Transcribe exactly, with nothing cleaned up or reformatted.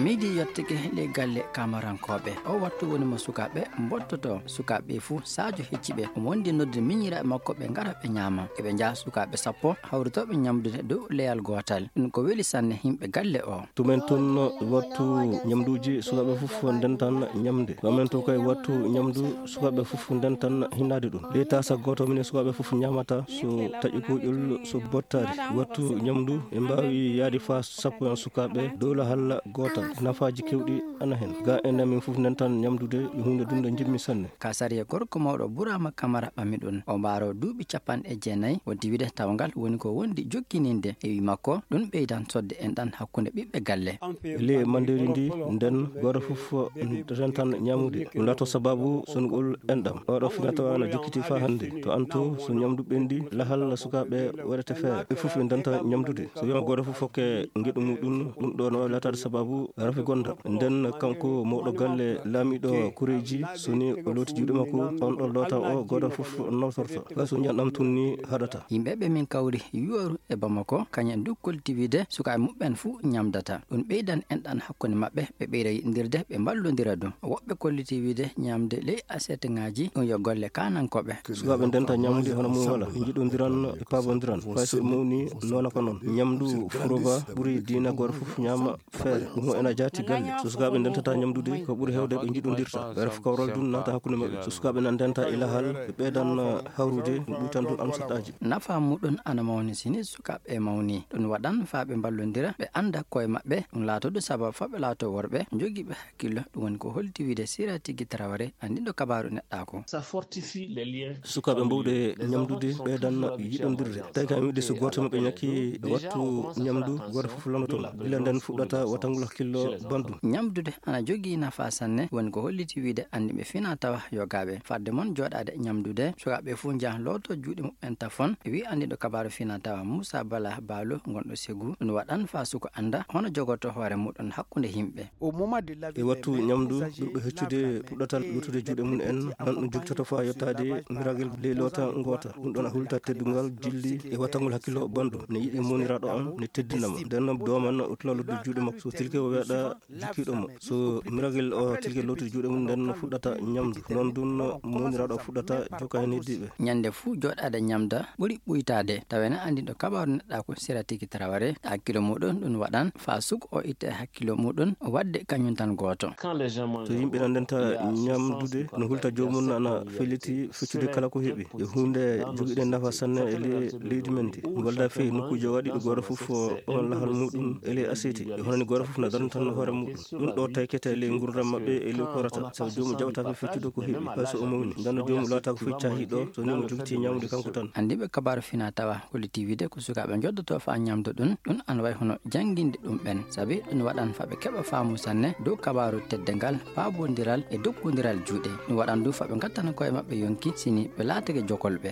Midi yottike ley galle Kamarankooɓe. O wattu woni mo sukaaɓe mbottoto. Sukaaɓe ɓe fuu, Sadio hecci ɓe. Omo wondi noddude miñiraaɓe makko, ɓe ngara, ɓe ñaama. Eɓe njaha sukaaɓe sappo hawritooɓe ñamdude dow leyal gootal. Ɗum ko weli sanne yimɓe galle o. Tumen tun wattu ñamduuji, sukaaɓe fof ndentan ñamde. Tumen tun kay wattu ñamdu, sukaaɓe fof ndentan hinnaade ɗum. Ley taasa gooto minen sukaaɓe fof ñaamata, so taƴi kuuƴol, so bottaari. Wattu ñamdu, ɓe mbaawi yaade faa sappo en sukaaɓe dow lahal gootal. Nafaaji keewɗi ana hen. Ga en amin fof ndentan ñamdude, yo huunde dunde njimmi sanne. Ka sariya gorko mawɗo Burama Kamara ɓami ɗum. O mbaaro duuɓi capanɗe jeenayi, o diwide tawngal woni ko wondi jokkininde. E wi makko, ɗum ɓeydan sodde enɗan hakkunde ɓiɓɓe galle. Ley mandeeri ndi, nden gooto fof rentan ñamude. Ɗum laato sababu songol enɗam. Oɗo finatawa na jokkiti faa hannde. To an to, so ñamdu ɓendi, lahal sukaaɓe waɗete feere. Ɓe fof ɓe ndenta ñamdude. So wiyama gooto fof hokke ngeɗu muɗum, ɗum ɗo no waawi laataade sababu rafi gonda. Nden kanko mawɗo galle laamiɗo koreeji, so ni o looti juuɗe makko, on ɗo loota o gooto fof nawtorto. Hay so ñanɗam tun ni haɗata. Yimɓe ɓe min kawri yooru e Bamako, kañum en du kolliti wiide sukaaɓe muɓɓen fuu ñamdata. Ɗum ɓeydan enɗan hakkunde maɓɓe, ɓe ɓeyda yiɗindirde, ɓe mballondira du. Woɓɓe kolliti wiide ñamde ley aseteŋaaji, ɗum yo golle kaanankooɓe. Sukaaɓe ndenta ñamde hono mum wala, ɓe njiɗondiran, ɓe paabondiran. Fay so ɓe mawni, noona ko noon. Ñamdu furova ɓuri diina gooto fof ñaama feere. Ɗum o ena jaati galle. So sukaaɓe ndentata ñamdude, ko ɓuri heewde ɓe njiɗondirta. Ɓe ref kawral dun naata hakkunde maɓɓe. So sukaaɓe na ndenta e lahal, ɓe ɓeydan hawrude, ɗum ɓuytan dun amsataaji. Nafa muɗum ana mawni si ni sukaaɓe mawni. Ɗum waɗan faa ɓe mballondira, ɓe annda koye maɓɓe. Ɗum laatodu sabab faa ɓe laato worɓe jogiiɓe hakkillo. Ɗum woni ko holti wiide Sira Tigi Traoré, anndiɗo kabaaru neɗɗaaku. Ça fortifie les liens. Sukaaɓe mbowɗe ñamdude, ɓeydan yiɗondirde. Tawi kam wiide so gooto maɓɓe ñakki wattu ñamdu, gooto fof lannoto mo. Gila nden fuɗɗata watangol hakkillo banndum. Ñamdude ana jogii nafa sanne, woni ko holliti wiide anndiiɓe fina tawa yogaaɓe. Fadde mon jooɗaade ñamdude, sukaaɓe fof njaha looto juuɗe muɓɓen tafon, wi anndiɗo kabaaru fina tawa Moussa Bala Balo, gonɗo Ségou. Ɗum waɗan faa suko annda hono jogoto hoore muɗum hakkunde yimɓe. E wattu ñamdu, ɓurɓe heccude puɗɗata lootude juuɗe mum en, nan ɗum jogtoto faa yottaade miragel ley loota ngoota. Ɗum ɗon a hulta teddungal jilli e wattangol hakkillo banndum. Ne yiɗi mowniraaɗo am, ne teddina mo. Nden noon dooman o tula lootude juuɗe makko. So tilke o weeɗa jikkiiɗo mo. So miragel o tilke lootude juuɗe mum, nden fuɗɗata ñamdu. Noon dun mowniraaɗo o fuɗɗata jokka heen heddiiɓe. Ñande fuu jooɗaade ñamda ɓuri ɓuytaade. Tawa ene anndi ɗo kabaaru neɗɗaaku Sira Tigi Traoré, hakkilo muɗum ɗum waɗan faa suko o itta e hakkilo muɗum, o waɗde kañum tan gooto. So yimɓe na ndenta ñamdude, no hulta joomum ana felliti feccude kala ko heɓi. E huunde jogiiɗe nafa sanne e le-, leydi men ndi. Walda fey nokkuuje waɗi ɗo gooto fof on lahal muɗum e ley aseti. E hono ni gooto fof na darna tan hoore muɗum. Ɗum ɗo taykete e ley nguurndam maɓɓe e ley ko rata. Sabu joomum jaɓataako feccude ko heɓi. Hay so o mawni, ndanno joomum laataako fof caahiiɗo, so ni mo jogiti ñamude kanko tan. Anndiiɓe kabaaru fina tawa holliti wiide ko sukaaɓe njoddoto faa ñamda ɗum, ɗum ana wayi hono jannginde ɗum ɓen. Sabi ɗum waɗan faa ɓe keɓa faamu sanne dow kabaaru teddengal, paabondiral e dokkondiral juuɗe. Ɗum waɗan du faa ɓe ngattana koye maɓɓe yonki si ni ɓe laatake jokolɓe.